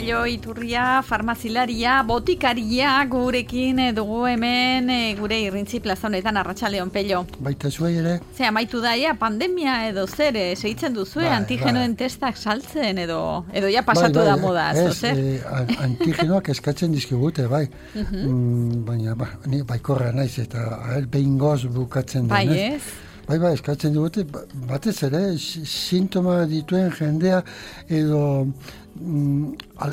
Pello Iturria, farmazilaria, botikaria gurekin dugu hemen gure irrintzi plaza honetan. Arratsaldeon, Pello. Baita zuei ere. Ze amaitu daia pandemia edo zer, segitzen duzue antigenoen testak saltzen edo ja pasatu da moda, zer? Antigenoak eskatzen dizkigute, bai. Baina ni baikorra naiz eta behingoz bukatzen da. Bai, ez? Bai, eskatzen dugute, batez ere, sintoma dituen jendea edo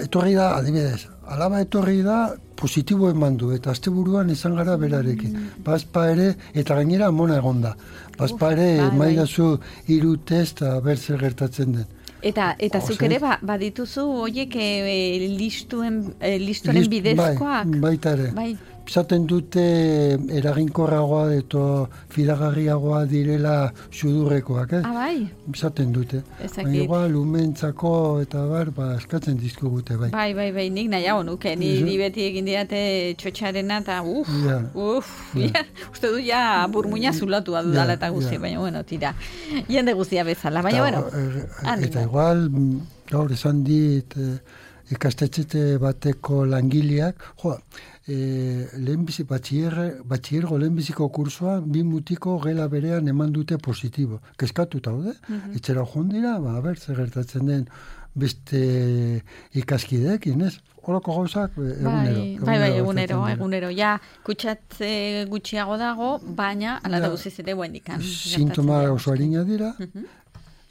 etorri da, adibidez, alaba etorri da, positibo eman du, eta asteburuan izan gara berarekin. Bazpa ere, eta gainera mona egon da. Bazpa ere, maidazu 3 test, ber zer gertatzen den. Eta zuk ere, badituzu, oiek listuaren bidezkoak? Baita ere. Bai. Zaten dute eraginkorragoa eta fidagarriagoa direla sudurrekoak, bai? Zaten dute. Baina igual, lumentzako eta eskatzen dizkigute, bai. Bai, nik nahiago nuke. Ni beti egin diate txotxarena eta uste du ja burmuina zulatua dudala eta guzti, baina bueno, tira. Jende guztia bezala, baina bueno. Eta igual, gaur esan dit ikastetxe bateko langileak, batxiergo lehenbiziko kursua 2 mutiko gela berean eman dute positibo. Keskatuta daude, etxera joan dira, zer gertatzen den beste ikaskideekin, ez? Horako gauzak egunero. Bai, egunero. Ja, kutsatze gutxiago dago, baina ala da guziz ere buendikan. Sintoma oso harina dira,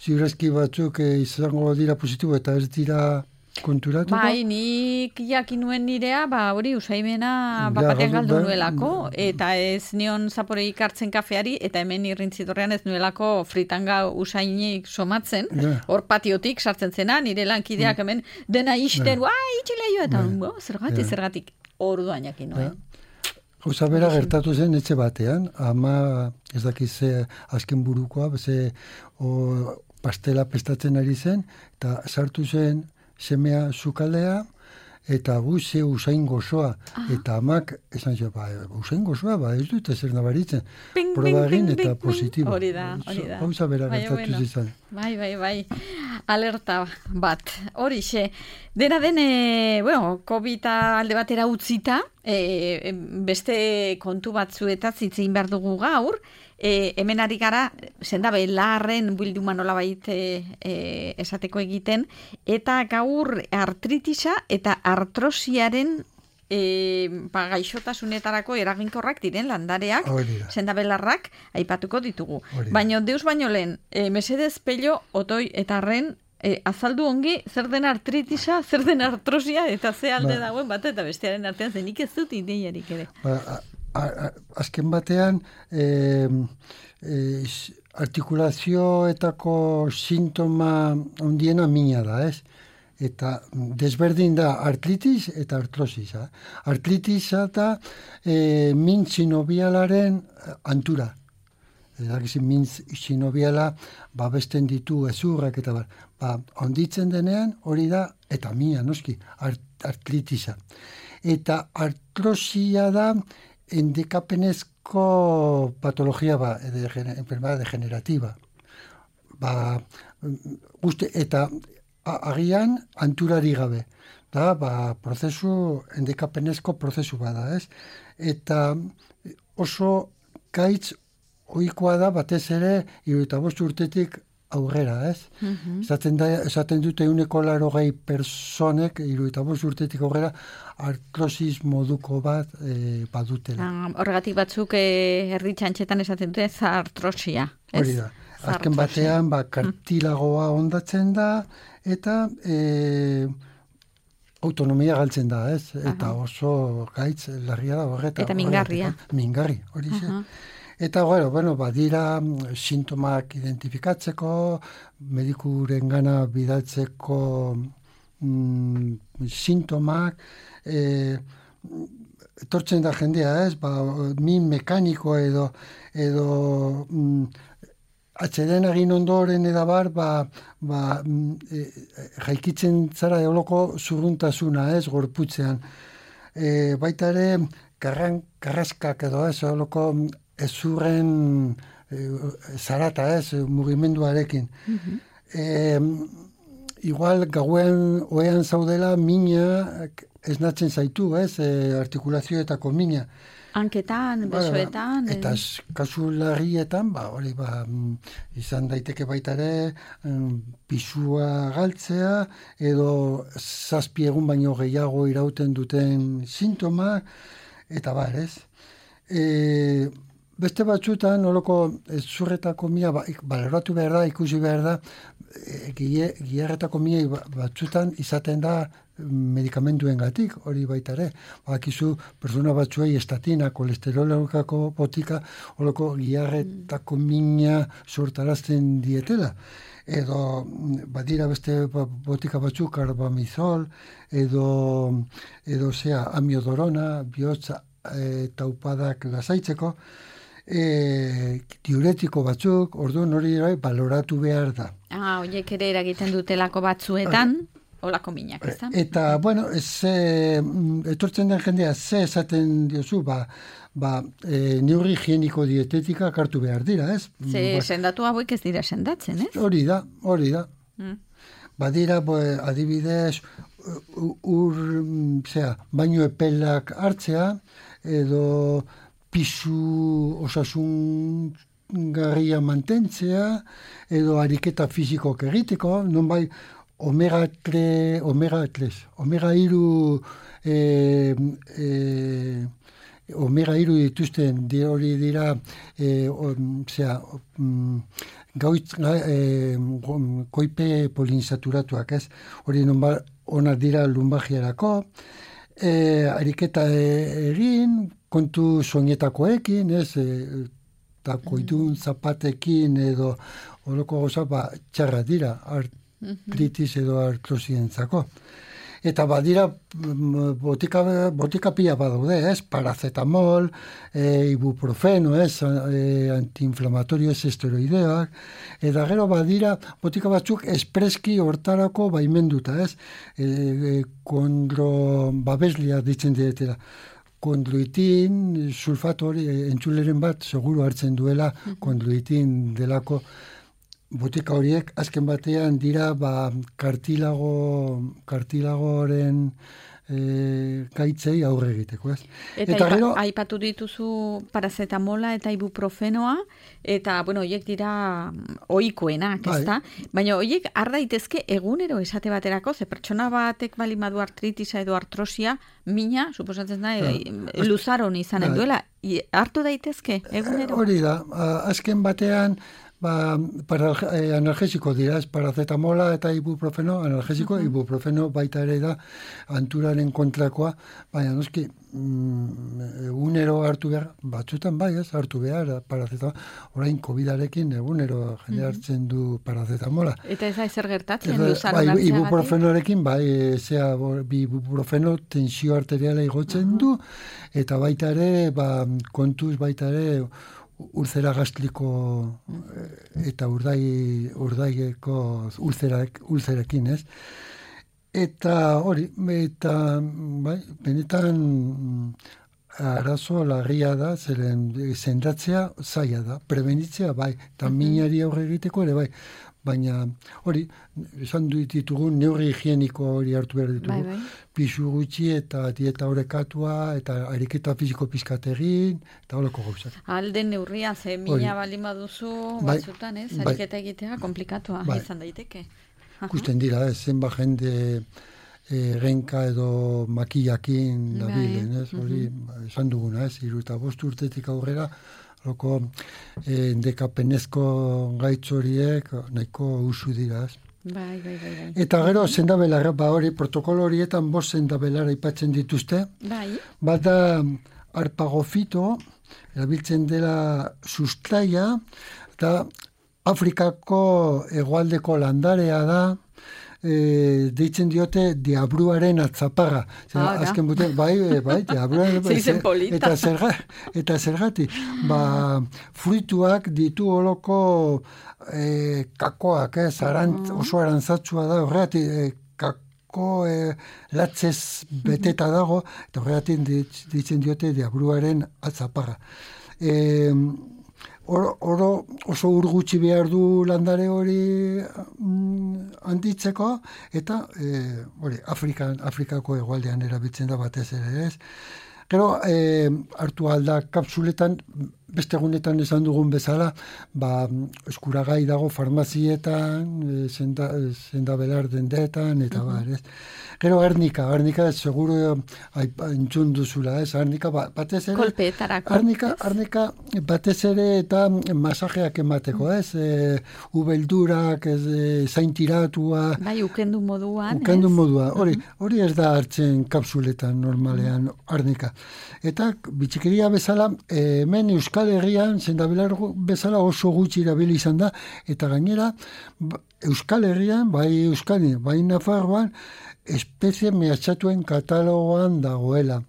ziurazki batzuk izango dira positibo eta ez dira konturatuko? Bai, nik jakin nuen nirea, hori usaimena batean galdu nuelako, eta ez nion zaporeik hartzen kafeari, eta hemen irrintzitorrean ez nuelako fritanga usainik somatzen, hor patiotik sartzen zena, nire lankideak hemen dena isten, itxileio, eta zergatik orduan jakin nuen. Gauza bera gertatu zen etxe batean, ama ez dakize azken burukoa, pastela pestatzen ari zen, eta sartu zen semea zukaldea, eta ze usain gozoa. Eta amak, esan zio, usain gozoa, ez dut ezer nabaritzen. Proba egin eta positibo. Hori da. Hauza bera gertatu zizan. Bai. Alerta bat. Horixe. Dena den, COVID alde batera utzita, beste kontu batzuetaz hitzein behar dugu gaur, hemen ari gara, zendabe, larren bilduma nolabait esateko egiten, eta gaur artritisa eta artrosiaren gaixotasunetarako eraginkorrak diren landareak, zendabelarrak, aipatuko ditugu. Baina deus baino lehen, mesedez Pello, Otoi eta Arren, azaldu ongi, zer den artritisa, zer den artrosia, eta ze alde dagoen bat, eta bestearen artean zenik ez dut ideiarik ere. Azken batean, artikulazioetako sintoma ondiena mina da, ez? Eta desberdin da artritis eta artrosis. Artritisa da min sinobialaren antura. Min sinobiala babesten ditu ezurrak eta onditzen denean hori da, eta mina, noski, artritisa. Eta artrosia da endekapenezko patologia enfermedad degenerativa. Eta agian anturari gabe. Prozesu, endekapenezko prozesu bada, ez? Eta oso gaitz ohikoa da batez ere 75 urtetik aurrera, ez? Esaten dute 180 personek 75 urtetik aurrera artrosis moduko bat badutela. Horregatik batzuk erdi txantxetan esaten dute artrosia. Hori da. Azken batean kartilagoa ondatzen da eta autonomia galtzen da, ez? Eta oso gaitz larria da horretan. Eta mingarria. Mingarri, hori ze. Eta, badira sintomak identifikatzeko, medikuren gana bidaltzeko sintomak, etortzen da jendea, ez? Min mekaniko edo atxeden egin ondoren edabar, jaikitzen zara eoloko zurruntasuna, ez? Gorputzean. Baita ere, karraskak edo, ez? Eoloko ezurren zarata, ez, mugimenduarekin. igual gauen oean zaudela mina esnatzen zaitu, artikulazioetako mina. Hanketan, besoetan. Eta kasu larrietan, hori izan daiteke baita ere, pisua galtzea, edo 7 egun baino gehiago irauten duten sintoma, eta ez. Beste batzutan, oloko zurretako mina, baloratu behar da, ikusi behar da, giharretako mina batzutan izaten da medikamentuengatik, hori baita ere. Bakizu, persona batzuei estatina, kolesterolekako botika, oloko giharretako mina sortarazten dietela. Edo, badira beste botika batzuk, carbamazol, edo amiodorona, bihotza taupadak lasaitzeko, diuretiko batzuk, orduan hori baloratu behar da. Horiek ere eragiten dutelako batzuetan, olako minak, ez da? Eta, etortzen den jendea, ze esaten diozu, neurri higieniko dietetika hartu behar dira, ez? Sendatu hauek ez dira sendatzen, ez? Hori da. Badira, adibidez, baino epelak hartzea, edo pisu osasun garria mantentzea, edo ariketa fizikoak egiteko, non omega 3 omega 3 dituzten hori dira koipe poliinsaturatuak, ez? Hori onak dira lumbagiarako, ariketa egin, kontu soinetakoekin, ez? Eta koidun zapatekin edo horoko goza txarra dira, artritis edo artrosientzako. Eta badira botika pila badaude, ez? Paracetamol, ibuprofeno, ez? Antiinflamatorio ez esteroideak. Eta gero badira botika batzuk espreski hortarako baimenduta, ez? Babeslia ditzen dietela. Kondroitin, sulfato hori, entzuleren bat, seguru hartzen duela kondroitin delako botika horiek, azken batean dira kartilagoren gaitzei aurre egiteko, ez? Eta gero aipatu dituzu parazetamola eta ibuprofenoa, eta, horiek dira ohikoenak, ezta? Baina horiek har daitezke egunero esate baterako, ze pertsona batek baldin badu artritisa edo artrosia, mina, suposatzen da, luzaron izanen duela, hartu daitezke egunero? Hori da, azken batean, analgesiko dira, parazetamola eta ibuprofeno, analgesiko, ibuprofeno baita ere da anturaren kontrakoa, baina noski, egunero hartu behar, batzutan hartu behar, parazetamola, orain COVID-arekin egunero jende hartzen du parazetamola. Eta ez da ezer gertatzen, luzaron hartzea ibuprofenoarekin, ibuprofeno tensio arteriala igotzen du, eta baita ere, kontuz baita ere, ulzera gastriko eta urdaigeko ulzerakin, ez? Eta hori, benetan arazo larria da, zeren sendatzea zaila da, prebenitzea eta minari aurre egiteko ere baina hori, esan ditugun neurri higieniko hori hartu behar ditugu, pisu gutxi eta dieta horrekatua eta ariketa fiziko pizkat egin, eta holako gauzak. Alden neurria, ze mina baldin baduzu batzutan, ez? Ariketa egitea komplikatua izan daiteke. Ikusten dira, zenba jende genka edo makillakin dabilen, ez? Hori, esan duguna, ez? 75 urtetik aurrera, loko dekapenezko gaitz horiek nahiko usu dira, ez? Bai. Eta gero sendabelarra, hori protokolo horietan 5 sendabelarra aipatzen dituzte. Bai. Bata arpagofito, erabiltzen dela sustraia, eta Afrikako hegoaldeko landarea da, deitzen diote diabruaren atzaparra. Azken buten, diabruaren eta zergatik. Fruituak ditu holoko kakoak, oso arantzatsua da, horregatik kako latzez beteta dago, eta horregatik deitzen diote diabruaren atzaparra. oro oso urgutxi behar du landare hori handitzeko, eta Afrikako hegoaldean erabiltzen da batez ere, ez? Gero, hartu alda kapsuletan, beste egunetan esan dugun bezala, eskuragai dago farmazietan, sendabelar dendetan, eta ez? Gero, arnika seguro entzun duzula, ez? Arnika batez ere... Kolpeetarako. Arnika batez ere eta masajeak emateko, ez? Ubeldurak, zaintiratua... Bai, ukendu moduan, Hori ez da hartzen kapsuletan normalean arnika. Eta bitxikeria bezala, hemen Euskal Herrian, sendabelar bezala oso gutxi erabili izan da, eta gainera, Euskal Herrian, bai Euskadi, bai Nafarroan, espezie mehatxatuen katalogoan dagoela.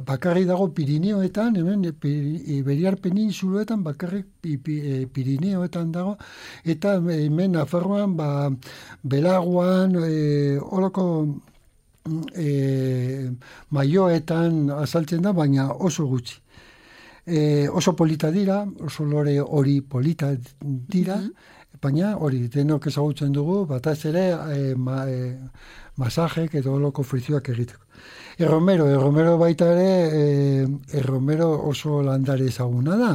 Bakarrik dago Pirineoetan, hemen Iberiar Peninsuloetan bakarrik Pirineoetan dago, eta hemen Nafarroan, Belaguan, horoko maioetan azaltzen da, baina oso gutxi. Oso polita dira, oso lore hori polita dira, baina hori denok ezagutzen dugu, bataz ere masajek edo oloko frizioak egiteko. Erromero baita ere, erromero oso landare ezaguna da.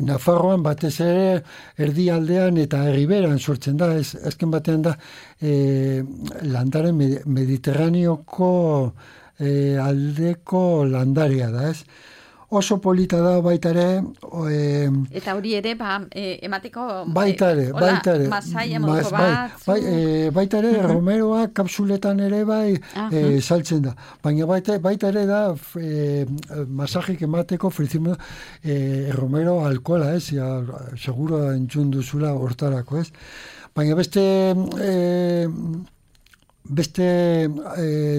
Nafarroan batez ere erdialdean eta herriberan sortzen da, azken batean da landare mediterraneoko aldeko landarea da, ez? Oso polita da baita ere... Eta hori ere, emateko... Baita ere. Masaia moduko bat... Baita ere, romeroa kapsuletan ere saltzen da. Baina baita ere da masajik emateko frizimo romero alkohola, ez? Seguro entzun duzula hortarako, ez? Baina beste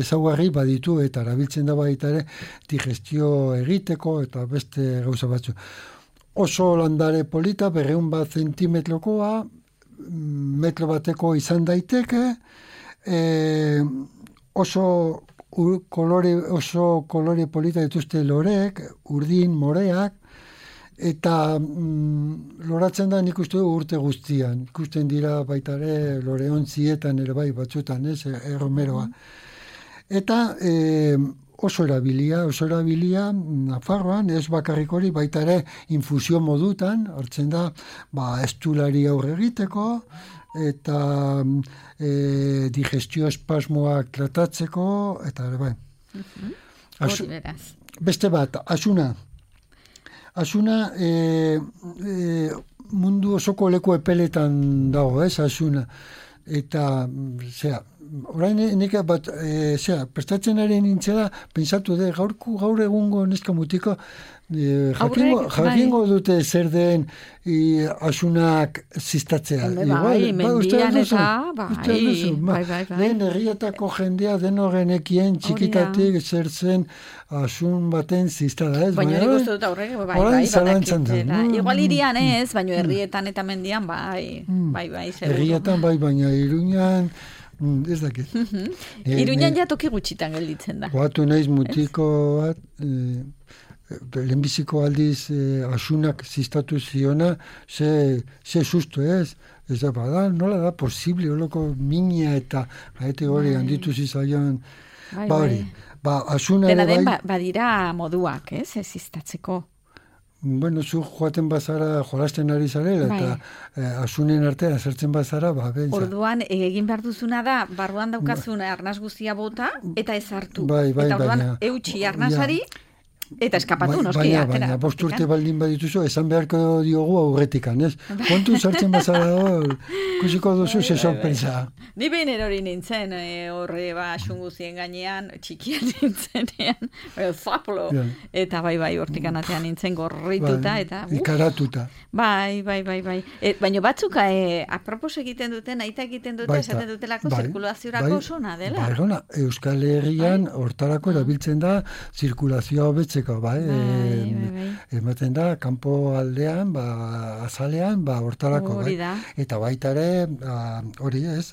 ezaugarri baditu eta erabiltzen da baita ere digestio egiteko eta beste gauza batzu. Oso landare polita, 200 zentimetrokoa, metro bateko izan daiteke, oso kolore polita dituzte loreek, urdin, moreak, eta loratzen da nik uste urte guztian. Ikusten dira baita ere loreontzietan ere bai batzutan, ez, erromeroa. Eta oso erabilia Nafarroan, ez bakarrik hori baita ere infusio modutan, hartzen da estulari aurre egiteko, eta digestio espasmoak tratatzeko, eta ere bai. Beste bat, asuna. Asuna mundu osoko leku epeletan dago, ez, asuna. Eta, orain nik prestatzen ari nintzela, pensatu gaur egungo neska mutiko, jakingo dute zer den asunak ziztatzea. Mendian eta, bai. Den herrietako jendea denogenekien txikitatik zer zen asun baten ziztada, ez? Baina nik uste dut aurrek, bai. Igual irian ez, baina herrietan eta mendian, bai. Herrietan, bai, baina Iruñan... ez dakit. Iruñan ja toki gutxitan gelditzen da. Goatu naiz mutiko bat, lehenbiziko aldiz asunak ziztatu ziona, ze susto ez? Ez da, nola da posible, holoko mina eta gaete hori handitu zizaion, hori. Asuna ere bai... Dena den, badira moduak, ez ziztatzeko. Bueno, zu joaten bazara, jolasten ari zarela, eta asunen artean zertzen bazara, bentsa. Orduan, egin behar duzuna da, barruan daukazun arnaz guztia bota, eta ez hartu. Eta orduan, eutxi arnazari, eta eskapatu, noski. Baina, 5 urte baldin badituzu, esan beharko diogu aurretikan, ez? Kontu sartzen bazara hor, kusiko duzu ze sorpresa. Ni behin erori nintzen, horre asun guztien gainean, txikian nintzenean, zaplo, eta bai, hortikan atean nintzen gorrituta, eta... Ikaratuta. Bai. Baina batzuk, apropos egiten duten, aita egiten dute, esaten dutelako zirkulaziorako zona dela. Bai, Euskal Herrian hortarako erabiltzen da zirkulazioa hobetzeko, bai. Ematen da, kanpo aldean, azalean, hortarako, bai. Eta baita ere, hori ez,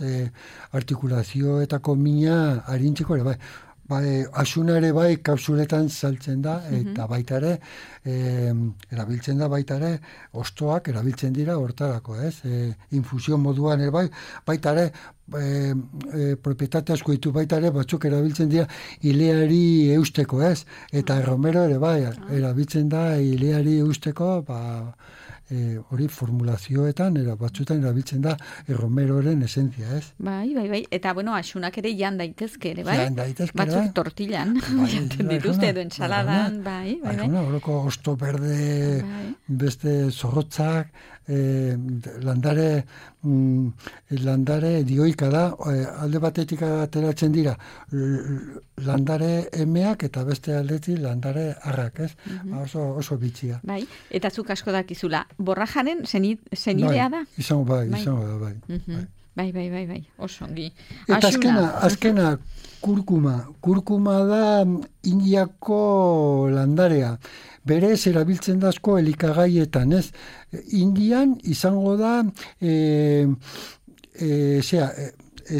artikulazioetako mina arintzeko ere, bai. asuna ere bai kapsuletan saltzen da, eta baita ere, erabiltzen da baita ere, ostoak erabiltzen dira hortarako, ez? Infusio moduan ere bai, baita ere, propietate asko ditu baita ere, batzuk erabiltzen dira ileari eusteko, ez? Eta romero ere bai, erabiltzen da ileari eusteko, hori formulazioetan, batzutan erabiltzen da romeroren esentzia, ez? Bai. Eta, asunak ere jan daitezke ere, bai? Jan daitezke, batzuk tortillan, jaten dituzte edo entsaladan, bai. Horoko osto berde, beste zorrotzak, landare dioika da, alde batetik ateratzen dira landare emeak eta beste aldetik landare arrak, ez? Oso bitxia. Bai, eta zuk asko dakizula, borrajaren zenidea da? Izango da, bai. Bai, oso ongi. Eta azkena kurkuma. Kurkuma da Indiako landarea. Berez erabiltzen da asko elikagaietan, ez? Indian izango da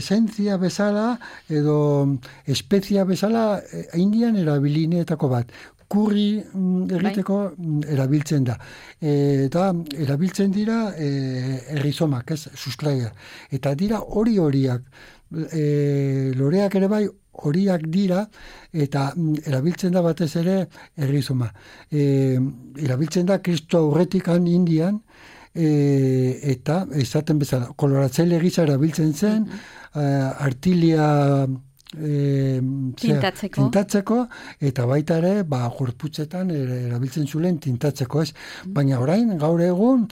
esentzia bezala edo espezia bezala Indian erabilineetako bat. Kurri egiteko erabiltzen da. Eta erabiltzen dira errizomak, ez? Sustraia. Eta dira horiak. Loreak ere bai horiak dira, eta erabiltzen da batez ere errizoma. Erabiltzen da Kristo aurretikan Indian, eta esaten bezala, koloratzaile gisa erabiltzen zen, artilia tintatzeko, eta baita ere, gorputzetan erabiltzen zulen tintatzeko, ez? Baina orain, gaur egun,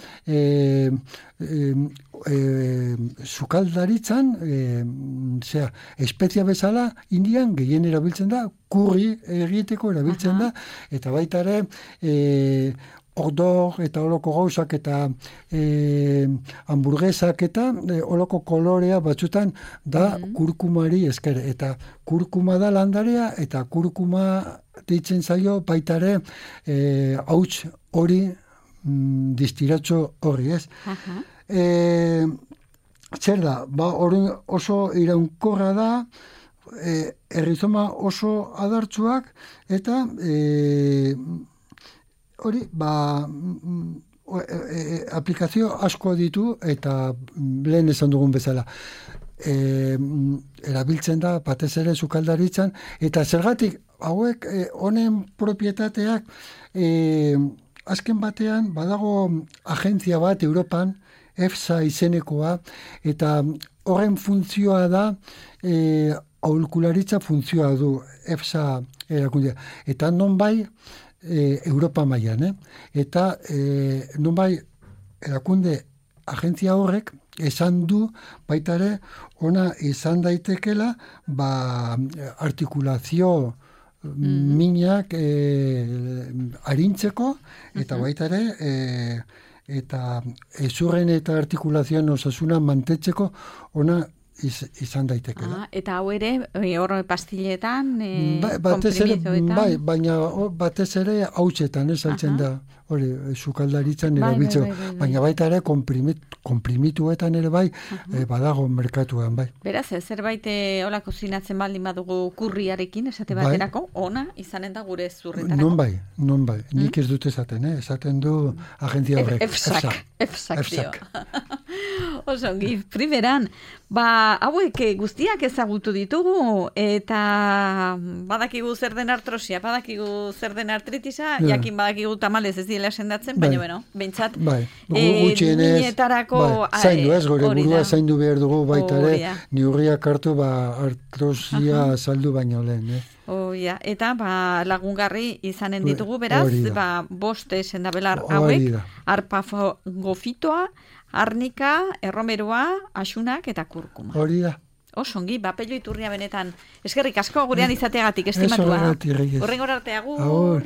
sukaldaritzan, espezia bezala, Indian gehien erabiltzen da, kurri egiteko erabiltzen da, eta baita ere, ordor eta oloko gauzak eta hamburguesak eta oloko kolorea batzutan da kurkumari esker. Eta kurkuma da landarea eta kurkuma deitzen zaio baita ere hauts hori distiratxo horri, ez? Zer da, oso iraunkorra da, errizoma oso adartsuak eta hori, aplikazio asko ditu eta lehen esan dugun bezala. Erabiltzen da, batez ere sukaldaritzan, eta zergatik, hauek honen propietateak azken batean badago agentzia bat Europan, EFSA izenekoa, eta horren funtzioa da aholkularitza funtzioa du EFSA erakundea. Eta nonbai Europa mailan, eta nonbai erakunde agentzia horrek esan du baita ere ona izan daitekela artikulazio minak arintzeko eta baita ere eta ezurren eta artikulazioan osasuna mantetzeko ona izan daitekela. Eta hau ere, hor pastiletan, komprimitoetan? Bai, baina batez ere hautsetan, saltzen da, hori, sukaldaritzan erabiltzeko. Baina baita ere, komprimituetan ere bai, badago merkatuan, bai. Beraz, zerbait hola kozinatzen baldin badugu kurriarekin, esate baterako, ona izanen da gure zurretarako. Non bai. Nik ez dut esaten du agentzia horrek. EFSAk dio. Osongi, primeran, hauek guztiak ezagutu ditugu, eta badakigu zer den artrosia, badakigu zer den artritisa, jakin badakigu tamalez ez dira sendatzen, baina bueno, behintzat, minetarako zaindu ez, gore burua zaindu behar dugu baita ere, neurriak hartu artrosia saldu baino lehen, eta lagungarri izanen ditugu, beraz, 5 sendabelar hauek, arpafagofitoa, arnika, erromeroa, asunak eta kurkuma. Hori da. Osongi, Pello Iturria benetan eskerrik asko gurean izateagatik, estimatua. Horrengor arte, agur.